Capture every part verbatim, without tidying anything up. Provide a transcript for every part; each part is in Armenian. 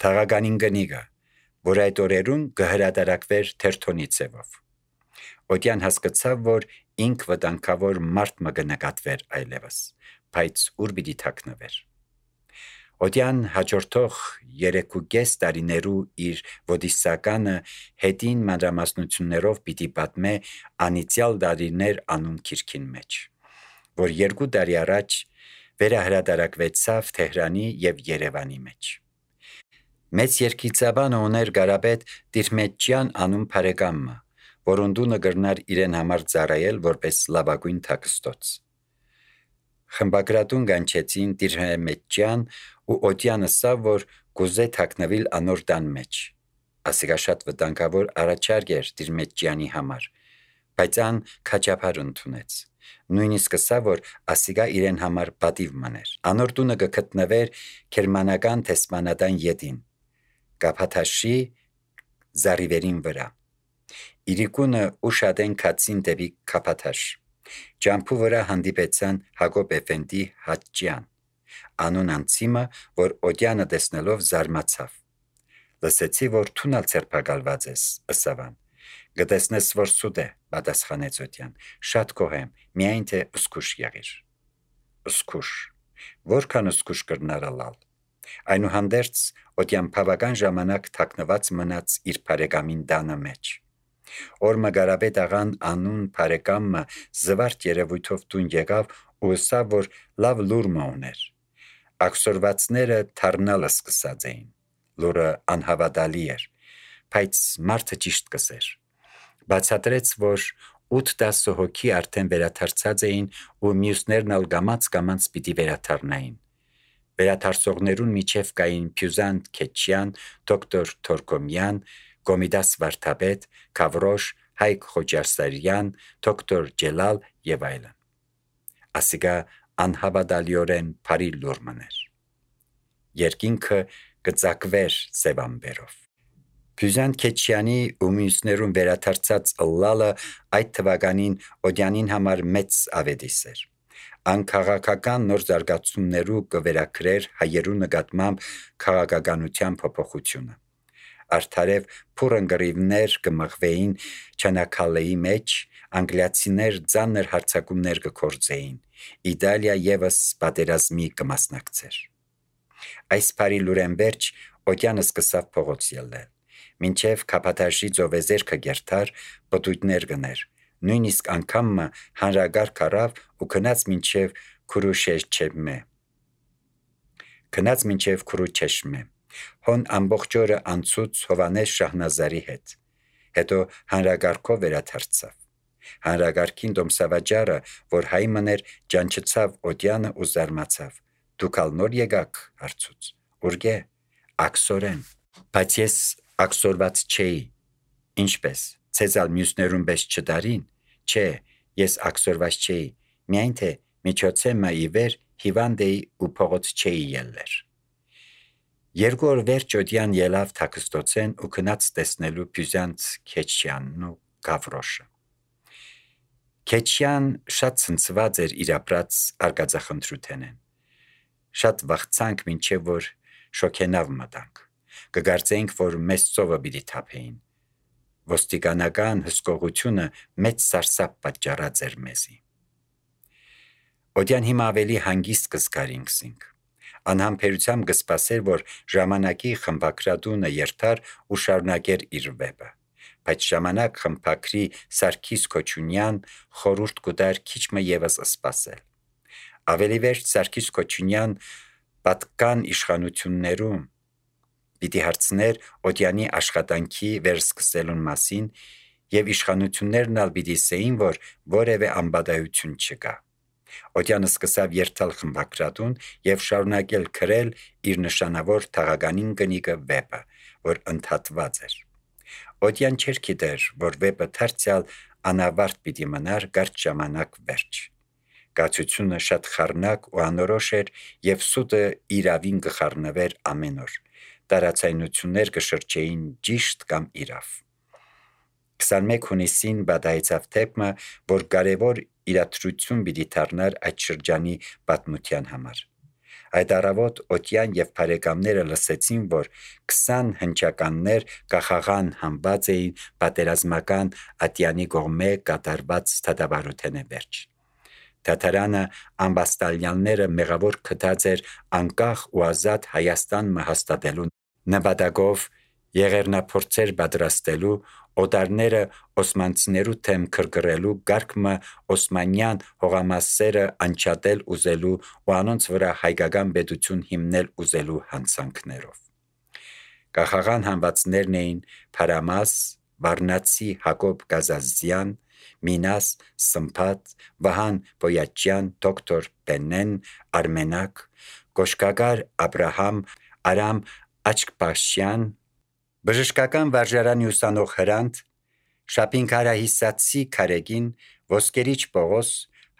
թաղականին գնիգը, որ այդ օրերուն կհրադարակվեր թերթոնի ձևով։ Օդյան հասկացավ, որ ինք վտանգավոր մարդ մը կնկատվեր այլևս, բայց ուր պիտի թաքնվեր։ Օդյան հաջորդող երեքուկես տարիներու իր ոդիսականը հետին մանրամասնություններով պիտի պատմե անիծյալ տարիներ անուն քիրքին մեջ, որ երկու տարի առաջ վերահրադարակվեցավ Թեհրանի եւ Երևանի մեջ։ Մեծ երկիծաբանը ուներ Գարաբետ Տիրմեջյան անուն բարեկամը, որոն դունը գրնար իրեն համար ծառայել որպես լավագույն թաքստոց։ Խմբագրատուն գանչեցին Տիրմեջյան ու Օդյանը սա, որ գուզե թաքնվիլ անոր տան մեջ։ Ասիկա շատ վտանգավոր առաջարկ էր Տիրմեջյանի համար, բայց ան քաջափար ընդունեց։ Նույնիսկ սա, որ ասիկա իրեն համար պատիվ մներ։ Անոր տունը գտնվեր Գերմանական տեսմանադան ետին, Կապաթաշի զարիվերին վրա։ Իրիկունը ուշադեն կացին դեպի Կապաթաշ։ Ջամփու վրա հանդիպեցան Հակոբ Էֆենդի Հաճյան, անուն անցիմը, որ Օդյանը տեսնելով զարմացավ։ Լսեցի, որ թունալ ցերպակալված ես, ըսավան։ Գտեսնես, որ սուտ է, պատասխանեց Օդյան։ Շատ կողեմ, միայն թե ըսկուշ եղիր։ Ըսկուշ։ Որքան ըսկուշ կրնարալալ։ Այնուհանդերձ Օդյան բավական ժամանակ թաքնված մնաց իր բարեկամին տանը մեջ։ Օրմը Գարաբետ աղան անուն բարեկամը զվարթ երևույթով տուն եկավ ու ըսավ, որ լավ լուր մը ուներ։ Աքսորվածները թարնալը սկսած էին։ Լուրը անհավատալի էր, բայց մարդը ճիշտ կսեր։ Բացատրեց, որ ութ-տասը հոգի արդեն վերաթարցած էին ու մյուսներն ալ գամած-գամած պիտի վերաթարնային։ Վերաթարցողներուն միջև կային Փյուզանտ Քեչյան, դոկտոր Թորկոմյան, Կոմիդաս Վարդապետ, Քավրոշ, Հայկ Խոջարսարյան, դոկտոր Ջելալ եւ այլն։ Ասիկա անհավատալիորեն բարի լուր մներ։ Երկինքը կծակվեր սևամբերով։ Փյուզանտ Քեչյանի ու մյուսներուն վերաթարցած ըլլալը այդ թվականին Օդյանին համար մեծ ավետիս էր։ Անքաղաքական նոր զարգացումներու կվերակրեր հայերու նկատմամբ քաղաքականության փոփոխությունը։ Արդարև փուրընկրիվներ կմղվեին Չանակալեի մեջ, անգլիացիներ ծանր հարձակումներ կգործեին, Իտալիա եւս պատերազմի կմասնակցեր։ Այս բարի լուրեն վերջ Օդյանը սկսավ փողոց ելնել, մինչև Կապաթաշի ծովեզերքը գերթար պտույտներ գներ, նույնիսկ անգամը հանրագարք առավ ու գնաց մինչև Քուրուշեշչեմե։ Գնաց մինչև Քուրուչեշմե։ Հոն ամբողջ օրը անցուց Հովանես Շահնազարի հետ։ Հետո հանրագարքով վերաթարցավ։ Հանրագարքին Դոմսավաճարը, որ հայ մներ, ջանչեցավ Օդյանը ու զարմացավ։ Դուք ալ նոր եկաք, հարցուց։ Ուրգե, աքսորեն։ Բայց ես աքսորված չէի։ Ինչպես, ցեզալ մյուսներուն պես չդարին։ Չէ, ես աքսորված չէի, միայն թե միջոցեմը ի վեր հիվանդ էի ու փողոց չէի ելներ։ Երկու օր վերջ Օդյան ելավ թաքստոցեն ու գնաց տեսնելու Փյուզանտ Քեչյանն ու Գավրոշը։ Քեչյան շատ ցնցված էր իր ապրած արկածախնդրութենեն։ Շատ վախցանք, մինչև որ շոքենավ մտանք։ Կգարծեինք, որ մեծ ծովը պիտի թափեին։ Ոստիկանական հսկողությունը մեծ սարսափ պատճառած էր մեզի։ Օդյան հիմա ավելի հանգիստ կզգարինքսինք։ Անհամբերությամբ կսպասեր, որ ժամանակի խմբակրատունը երթար ու շարունակեր իր վեպը, բայց ժամանակ խմբակրի Սարգիս Քոչունյան խորուրդ կուտար քիչմը եւս սպասել։ Ավելի վերջ Սարգիս Քոչունյան պատկան իշխանություններում պիտի հարցներ Օդյանի աշխատանքի վերսկսելուն մասին եւ իշխանություններն ալ պիտի ասեին, որ որևէ անբադայություն չկա։ Օդյանը սկսավ երթալ խմբակրատուն եւ շարունակել գրել իր նշանավոր թաղականին կնիկը վեպը, որ ընդհատված էր։ Օդյան չէր գիտեր, որ վեպը դարձյալ անավարտ պիտի մնար կարճ ժամանակ վերջ։ Գացությունը շատ խառնակ ու անորոշ էր եւ սուտը իրավին կխառնվեր ամեն օր։ Տարածայնություններ կշրջեին ճիշտ կամ իրավ։ քսանմեկ հունիսին բադայեցավ թեփը, որ կարևոր իրադրություն պիտի դառնար այդ շրջանի պատմության համար։ Այդ առավոտ Օթյան եւ բարեկամները լսեցին, որ քսան հնչականներ կախաղան համբած էին պատերազմական ատյանի կողմէ կատարված թադավարութենէ վերջ։ Թաթարանը ամբաստալյանները մեղավոր քթած էր անկախ ու ազատ Հայաստան մը հաստատելու նպատակով եղեռնափորձեր պատրաստելու, օտարները օսմանցիներու թեմ քրկռելու, գարկմը օսմանյան հողամասերը անջատել ուզելու ու անոնց վրա հայկական պետություն հիմնել ուզելու հանցանքներով։ Կախաղան համվածներն էին Փարամաս, Վառնացի Հակոբ Գազազյան, Մինաս Սմփատ, Վահան Բոյաչյան, դոկտոր Բենեն, Արմենակ, Կոշկակար Աբրահամ, Արամ Աչկպաշյան, բժշկական վարժարանի ուսանող Հրանտ, Շապինքարահիսացի Քարեգին, Ոսկերիչ Պողոս,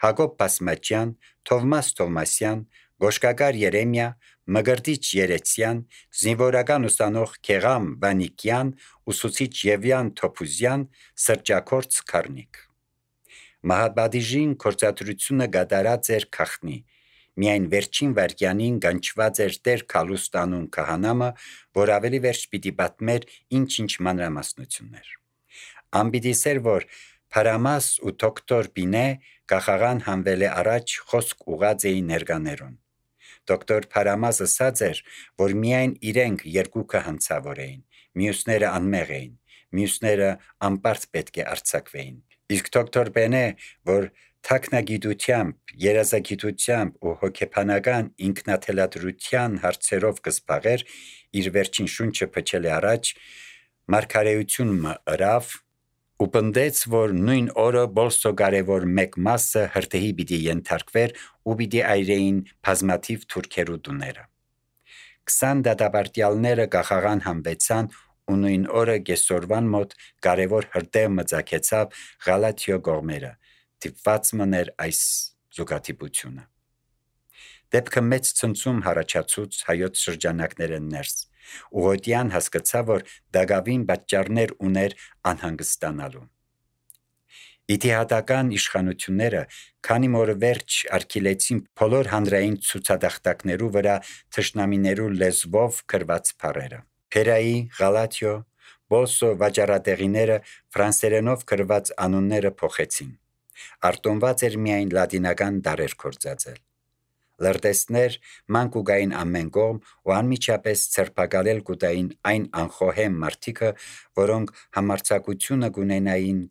Հակոբ Բասմաճյան, Թովմաս Թովմասյան, Գոշկակար Երեմիա, Մգրտիչ Երեցյան, զինվորական ուսանող Քեղամ Վանիկյան, ուսուցիչ Եվյան Թոփուզյան, սրճակորց Քարնիկ։ Մահապատիժին կործատրությունը գդարած էր քախնի։ Միայն վերջին վարքյանին գանչված էր Տեր Քալուստանուն քահանամը, որ ավելի վերջ պիտի պատմեր ինչ-ինչ մանրամասնություններ։ Անպիտի սեր, որ Փարամաս ու դոկտոր Բինե կախաղան հանվել է առաջ խոսք ուղած էին ներկաներուն։ Դոկտոր Փարամասը ասաց էր, որ միայն իրենք երկուքը հանցավոր էին, մյուսները անմեղ էին, մյուսները անպարտ պետք է արձակվեին։ Իսկ դոկտոր Բենե, որ թաքնագիտությամբ, երազագիտությամբ ու հոգեբանական ինքնաթելադրության հարցերով կզբաղեր, իր վերջին շունչը փչել է առաջ, մարգարեություն մը ըրավ ու պնդեց, որ նույն օրը բոլսո կարևոր մեկ մասը հրդեհի պիտի ենթարկվեր ու պիտի այրեին բազմաթիվ թուրքերու տուները։ Քսան դատապարտյալները կախաղան համվեցան ու նույն օրը կեսօրվան մոտ կարևոր հրդեհ մծակեցավ Ղալաթիո կողմերը, դիպված մներ այս զուգադիպությունը։ Դեպքը մեծ ցնցում հարաճացուց հայոց շրջանակներեն ներս, ու Օթյան հասկացավ, որ դակավին պատճառներ ուներ անհանգստանալու։ Իդիհատական իշխանությունները քանի որ վերջ արգելեցին բոլոր հանրային ցուցադախտակներու վրա թշնամիներու լեզվով գրված բառերը։ Փերայի, Ղալաթիո, Բոլսո վաճառատեղիները ֆրանսերենով գրված անունները փոխեցին։ Արտոնված էր միայն լատինական դարեր կործածել։ Լրտեսներ ման կուգային ամեն կողմ ու անմիջապես ցերպակալել կուտային այն անխոհեմ մարդիկը, որոնք համարձակությունը կունենային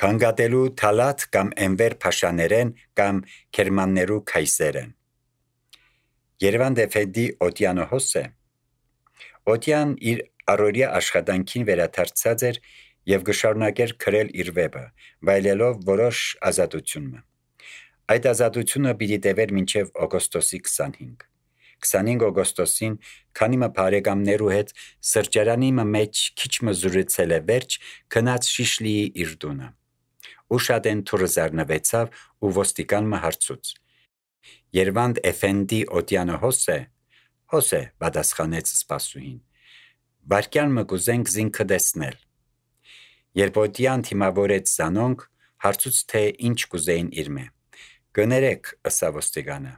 քանգատելու թալաթ կամ էնվեր փաշաներեն կամ քերմաններու քայսերեն։ Երևան դեֆեդի Օթյանը հոսե։ Օթյան իր առօրյա աշխատանքին վերադարձած էր եւ գշարունակեր քրել իր վեպը, վայելելով որոշ ազատությունը։ Այդ ազատությունը պիտի տևեր մինչև օգոստոսի քսանհինգ։ քսանհինգ օգոստոսին, քանի մը բարեկամներու հետ սրճարանի մեջ քիչ մը զրուցել է վերջ, գնաց Շիշլիի իր տունը։ Ուշադեն թուրը զարնվեցավ ու ոստիկան մը հարցուց. Երվանդ Էֆենդի Օթյանը հոսե, հոսե, պատասխանեց սպասուհին։ Վարկյան մը կուզենք զինքը տեսնել։ Երբ Օթյան թիմավորեց զանոնք, հարցուց թե ինչ կուզեին իր մե։ Գներեք, ըսա ոստիկանը։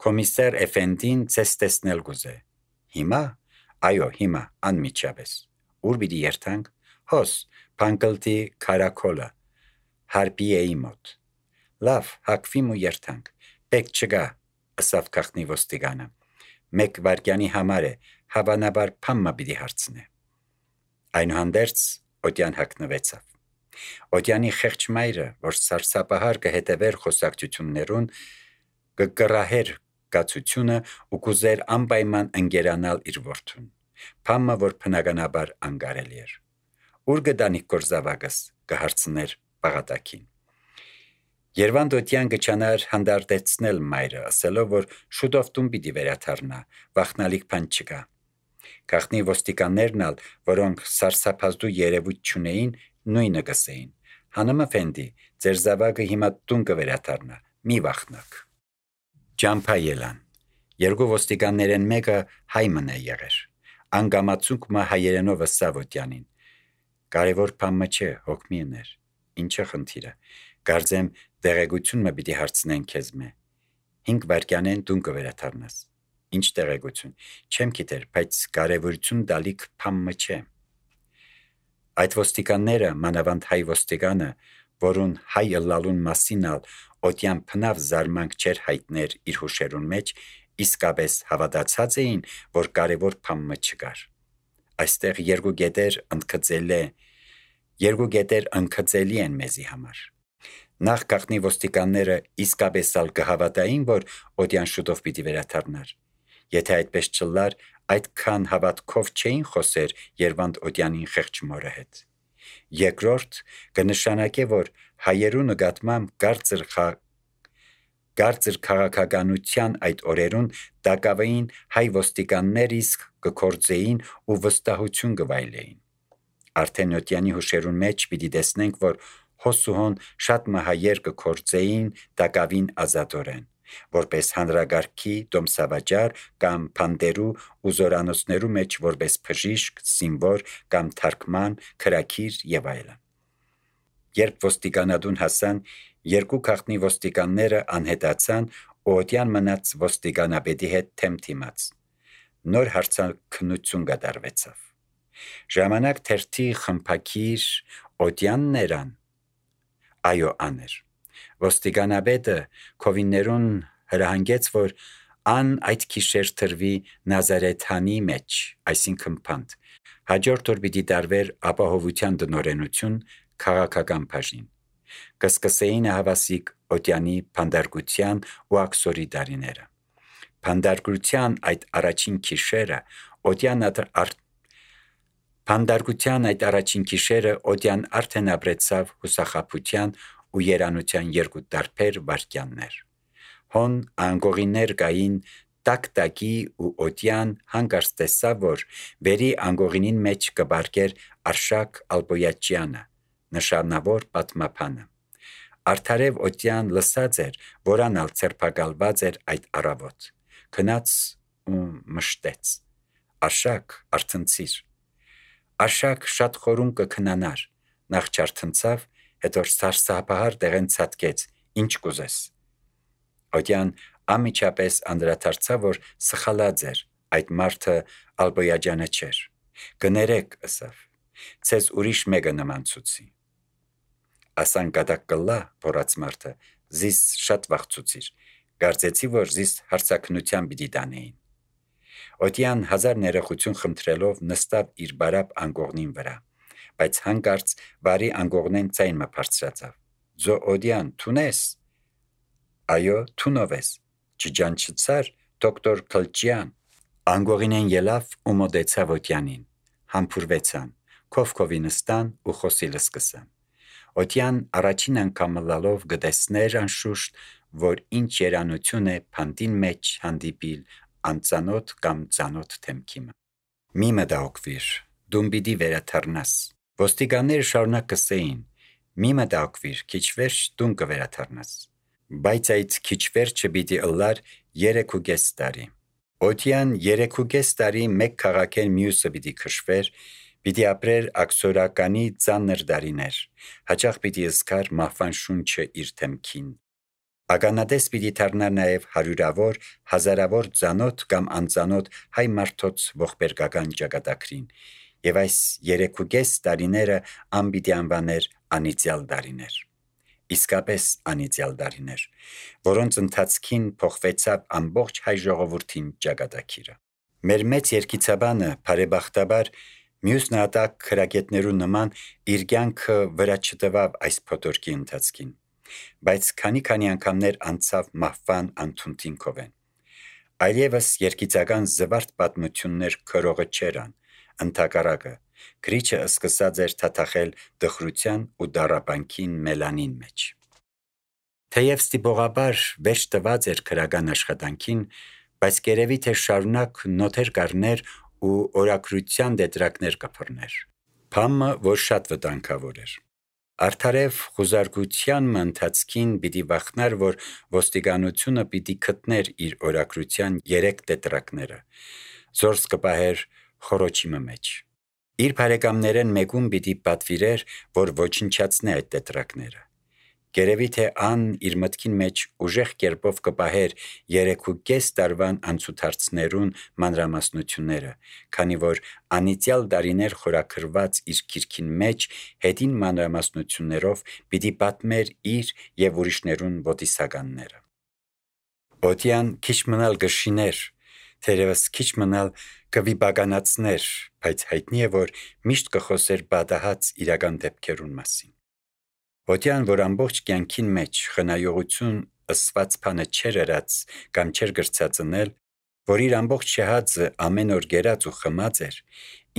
Կոմիսար Էֆենդին ցես տեսնել կուզե։ Հիմա, այո, հիմա, անմիջապես։ Ուր պիտի երթանք։ Հոս, Փանկլտի Քարակոլը, Հարբիեի մոտ։ Լավ, հակվիմ ու երթանք։ Պետք չկա, ըսավ գախնի ոստիկանը։ Մեկ վարկյանի համար է, հավանաբար փամմա պիտի հարցնե։ Այնուհանդերձ Օթյան հագնվեցավ։ Օթյանի խեղճ մայրը, որ սարսափահար կհետևեր խոսակցություններուն, կկռահեր կացությունը ու կուզեր անպայման ընկերանալ իր որդուն։ Փամմը, որ բնականաբար անկարելի էր։ Ուր գտանիք գործավակս, կհարցներ պաղատակին։ Երվանդ Օթյան կչանար հանդարտեցնել մայրը, ասելով, որ շուտով տուն պիտի վերադառնա, վախնալիք բան չկա։ Գախնի ոստիկաններն ալ, որոնք սարսափազդու երևույթ չունեին, նույնը կսեին. Հանım Էֆենդի, ձեր զավակը հիմա տուն կվերադառնա, մի վախնաք։ Ջամփա ելան։ Երկու ոստիկաններեն մեկը հայ մնա եղեր։ Անգամացուկ մը հայերենով ըսավ Օթյանին. Կարևոր բան չէ, հոգմի ուներ։ Ինչը խնդիրը։ Կարծեմ դեղեցություն մը պիտի հարցնեն քեզ մե։ հինգ վայրկյանեն դուն կվերադառնաս։ Ինչ տեղեկություն, չեմ գիտեր, բայց կարևորություն դալիք փամը չէ։ Այդ ոստիկանները, մանավանդ հայ ոստիկանը, որուն հայ ըլլալուն մասին ալ օտյան փնավ զարմանք չեր հայտներ իր հուշերուն մեջ, իսկապես հավատացած էին, որ կարևոր փամը չկար։ Այստեղ երկու գետեր ընդգծել է, երկու գետեր ընդգծելի են մեզի համար։ Նախ գաղտնի ոստիկանները իսկապես ալ կհավատային, որ օտյան շուտով պիտի վերադառնար։ Եթե այդպես չլար, այդքան հավատքով չէին խոսեր Երվանդ օտյանին խեղճ մորը հետ։ Երկրորդ կնշանակե, որ հայերու նկատմամբ կարծր խա Կարծր քաղաքականության այդ օրերուն տակավային հայ ոստիկաններ իսկ կկործեին ու վստահություն կվայելեին։ Արդեն օտյանի հուշերուն մեջ պիտի տեսնենք, որ հոսուհոն շատ մահայեր կկործեին տակավին ազատորեն, որպես հանրագարքի դոմսավաճար կամ փանդերու ու զորանոցներու մեջ որպես բժիշկ, զինվոր կամ թարգման, քրակիր եւ այլն։ Երբ ոստիկանադուն հասան, երկու գաղտնի ոստիկանները անհետացան ու օտյան մնաց ոստիկանապետի հետ թեմ թիմաց։ Նոր հարցաքննություն կատարվեցավ։ Ժամանակ թերթի խմփակիր օտյանն երան։ Այո, աներ։ Ոստիկանապետը քովիններուն հրահանգեց, որ ան այդ քիշեր թրվի Նազարեթանի մեջ, այսինքն փանդ։ Հաջորդ օր պիտի տարվեր ապահովության դնորենություն քաղաքական բաժին։ Կսկսեին հավասիկ օտյանի փանդարգության ու աքսորի դարիները։ Փանդարգության այդ առաջին քիշերը օտյան ար... Փանդարգության այդ առաջին քիշերը օտյան արդեն ապրեցավ հուսախապության ու երանության երկու տարբեր վարքյաններ։ Հոն անգողիներ կային տակ-տակի ու օտյան հանգարց տեսավ, որ վերի անգողինին մեջ կբարգեր Արշակ Ալբոյաչյանը, նշանավոր պատմապանը։ Արդարև օտյան լսած էր, որան ալ ցերպակալված էր այդ առավոտ։ Քնած ու մշտեց։ Արշակ, արթնցիր։ Արշակ շատ խորուն կքնանար, նախ չարթնցավ, հետո սարսափահար դեղեն ցածկեց, ինչ կուզես։ Օտյան ամիջապես անդրադարձավ, որ սխալած էր, այդ մարդը Ալբոյաջանը չէր։ Կներեք, ըսավ, ցեզ ուրիշ մեկը նմանցուցի։ Ասան կատակ կլա, փորած մարդը, զիս շատ վախցուցիր, կարծեցի, որ զիս հարցակնության պիտի տանեին։ Օտյան հազար ներողություն խնդրելով նստավ իր բարապ անգողնին վրա, բայց հանկարծ վարի անգողնեն ցայնը բարձրացավ։ Ձո օդյան, թունես։ Այո, թունով ես, չջանչցար, դոկտոր Քլչյան։ Անգողինեն ելավ ու մոտեցավ օտյանին, համբուրվեցան, քովքովի նստան ու խոսիլը սկսան։ Օտյան առաջին անգամ լալով գտեսներ անշուշտ, որ ինչ երանություն է փանդին մեջ հանդիպիլ անծանոթ կամ ծանոթ թեմքիմը։ Մի մտահոգվիր, դու պիտի վերադառնաս։ Ոստիկանները շարունակ կսեին. մի մտահոգվիր, քիչ վերջ դու կվերադառնաս։ Բայց այդ քիչ վերջը պիտի ըլլար երեքուկես տարի։ Օտյան երեքուկես տարի մեկ քաղաքեն մյուսը պիտի քշվեր, պիտի ապրեր աքսորականի ծանր դարիներ, հաճախ պիտի զգար մահվան շունչը իր թեմքին։ Ականատես պիտի դառնար նաև հարյուրավոր, հազարավոր ծանոթ կամ անծանոթ հայ մարդոց ողբերգական ճակատագրին, եւ այս երեքուկես տարիները անպիտի անվաներ անիծյալ դարիներ։ Իսկապես անիծյալ դարիներ, որոնց ընթացքին փոխվեցավ ամբողջ հայ ժողովրդին ճակատագիրը։ Մեր մեծ երկիցաբանը բարեբախտաբար մյուս նահատակ քրագետներու նման իր կյանքը վրա չտվավ այս փոթորկի ընթացքին, բայց քանի-քանի անգամներ անցավ մահվան անթունթին կովեն։ Այլևս երկիցական զվարթ պատմություններ քրողը չերան, ընդհակառակը գրիչը սկսած էր թաթախել դխրության ու դառաբանքին մելանին մեջ։ Թեև ստիպողաբար վերջ տված էր քրական աշխատանքին, բայց կերևի թե շարունակ նոթեր կառներ ու օրակրության դետրակներ կփռներ։ Փամը, որ շատ վտանգավոր էր։ Արդարև խուզարկության ընթացքին պիտի վախնար, որ ոստիկանությունը պիտի գտներ իր օրակրության երեք դետրակները, զորս կպահեր խորոչիմը մեջ։ Իր բարեկամներեն մեկում պիտի պատվիրեր, որ ոչնչացնե այդ դետրակները։ Գերևի թե ան իր մտքին մեջ ուժեղ կերպով կպահեր երեքու կես տարվան անցուդարձներուն մանրամասնությունները, քանի որ անիծյալ դարիներ խորաքրված իր գիրքին մեջ հետին մանրամասնություններով պիտի պատմեր իր եւ ուրիշներուն ոտիսականները։ Օդյան քիչ մնալ գշիներ, թերևս քիչ մնալ կվիպականացներ, բայց հայտնի է, որ միշտ կխոսեր բադահած իրական դեպքերուն մասին։ Օդյան, որ ամբողջ կյանքին մեջ խնայողություն ըսված բանը չէր ըրած կամ չէր գրծածնել, որ իր ամբողջ շահածը ամեն օր գերած ու խմած էր,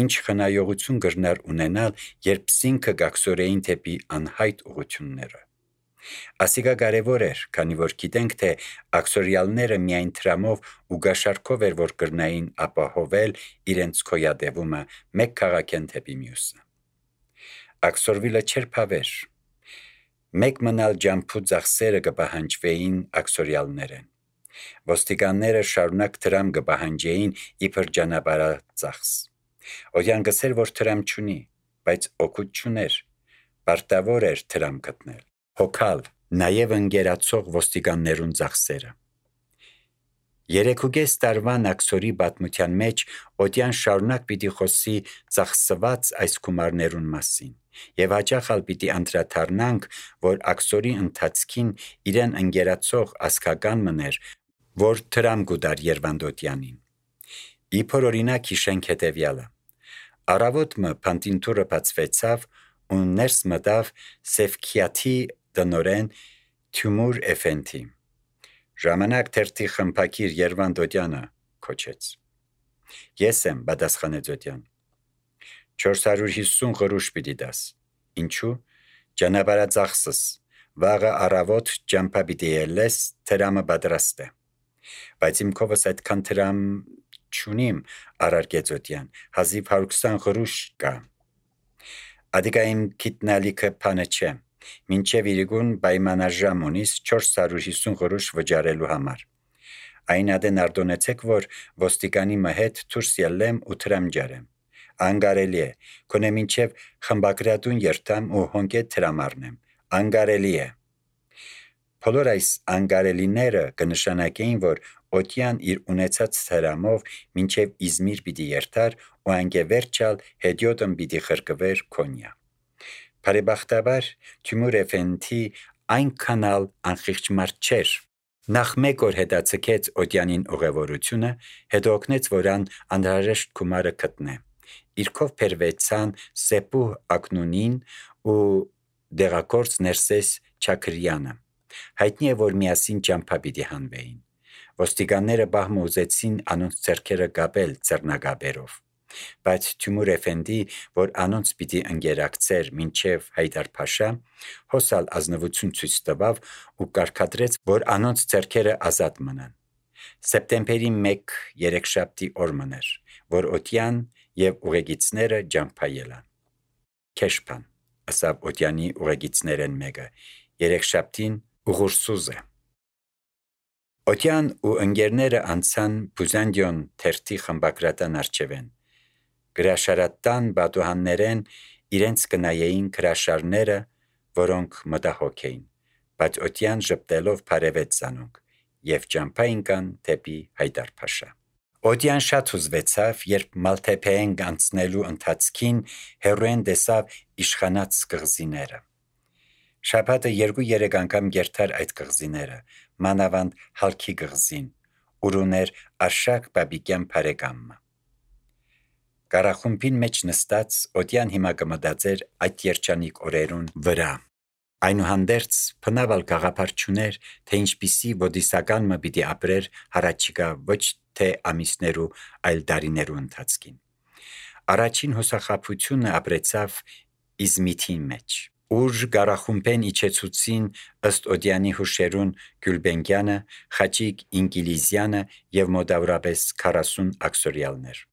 ինչ խնայողություն գրնար ունենալ, երբ սինքը գաքսորեին թեպի անհայտ ուղությունները։ Ասիկա կարևոր էր, քանի որ գիտենք, թե աքսորյալները միայն տրամով ու գաշարքով էր, որ կրնային ապահովել իրենց քոյադևումը մեկ քաղաքեն թեպի մյուսը։ Աքսորվիլը չէր փավեր։ Մեկ մնալ ջամփու ծախսերը կպահանջվեին աքսորյալներեն։ Ոստիկանները շարունակ դրամ կպահանջեին իբր ճանապարհածախս։ Օդյան գսեր, որ դրամ չունի, բայց օգուտ չուներ, պարտավոր էր դրամ գտնել, հոգալ, նաև ընկերացող ոստիկաններուն ծախսերը։ Երեքուկես տարվան աքսորի պատմության մեջ Օդյան շարունակ պիտի խոսի ծախսված այս գումարներուն մասին, եւ հաճախ ալ պիտի անդրադառնանք, որ աքսորի ընթացքին իրեն ընկերացող ասկական մներ, որ դրամ գուդար Երվանդոդյանին։ Իբր օրինակ հիշենք հետևյալը. Առավոտ մը փանտինտուրը բացվեցավ ու ներս մտավ Սեվքիաթի տնորեն Թյումուր Էֆենդի։ Ժամանակ թերթի խմփակիր Երվանդոդյանը քոչեց։ Ես եմ, պատասխանեց Օդյան։ չորս հարյուր հիսուն գրուշ պիտի դաս։ Ինչու՞։ Ճանապարհածախսս, վաղը առավոտ ճամփա պիտի ելես, դրամը պատրաստ է։ Բայց իմ քովս այդքան դրամ չունիմ, առարկեց Օդյան, հազիվ հարյուր քսան գրուշ կա։ Ադիկա իմ գիտնալիքը բանը չէ, մինչև իրիկուն պայմանաժամ ունիս չորս հարյուր հիսուն գրուշ վճարելու համար։ Այն ադեն արտոնեցեք, որ ոստիկանի մը հետ դուրս ելեմ ու դրամ ջարեմ։ Անգարելի է, քոնե մինչև խմբակրատուն երթամ ու հոնկետ դրամ առնեմ։ Անգարելի է։ Բոլոր այս անգարելիները կնշանակեին, որ Օդյան իր ունեցած դրամով մինչև Իզմիր պիտի երթար ու անգևերջալ հետիոտն պիտի խրկվեր Քոնյա։ Բարեբախտաբար Թյումուր Էֆենդի այնքան ալ անխիղճ մարդ չէր։ Նախ մեկ օր հետաձգեց Օդյանին ուղևորությունը, հետո օգնեց, որ ան անհրաժեշտ գումարը գտնե։ Իրքով բերվեցան Սեպու Ակնունին ու դեղակորց Ներսես Չաքրյանը։ Հայտնի է, որ միասին ճամփա պիտի հանվեին։ Ոստիկանները բահմը ուզեցին անոնց ձեռքերը կապել ձեռնագաբերով, բայց Թյումուր Էֆենդի, որ անոնց պիտի ընկերակցեր մինչև Հայդար-փաշա, հոսալ ազնվություն ցույց տվավ ու կարգադրեց, որ անոնց ձեռքերը ազատ մնան։ Սեպտեմբերի մեկ երեքշաբթի օր մներ, որ Օդյան եւ ուղեկիցները ճամփա ելան։ Քեշփան, ասավ Օդյանի ուղեկիցներեն մեկը, երեքշաբթին ուղուրսուզ է։ Օդյան ու ընկերները անցան Բուզանդիոն թերթի խմբակրատան արջևեն։ Գրաշարատան բատուհաններեն իրենց կնայեին գրաշարները, որոնք մտահոգ էին, բայց Օդյան ժպտելով բարևեց զանոնք եւ ճամփա ինկան թեպի Հայդար-փաշա։ Օդյան շատ հուզվեցավ, երբ Մալթեփեեն անցնելու ընթացքին հերոեն տեսավ իշխանած կղզիները։ Շաբաթը երկու-երեք անգամ գերթար այդ կղզիները, մանավանդ Հալքի կղզին, ուր ուներ Արշակ Բաբիկյան բարեկամը։ Կարախումբին մեջ նստած Օդյան հիմա կմտածեր այդ երջանիկ օրերուն վրա։ Այնուհանդերձ բնավ գաղափար չուներ, թե ինչպիսի ոդիսական մը պիտի ապրեր հարաճիկա ոչ թե ամիսներու, այլ դարիներու ընթացքին։ Առաջին հուսախաբությունը ապրեցավ Իզմիթին մեջ, ուր գարախումբեն իջեցուցին ըստ Օդյանի հուշերուն Գյուլբենկյանը, Խաչիկ Ինկիլիզյանը եւ մոտավորապես քառասուն աքսորյալներ։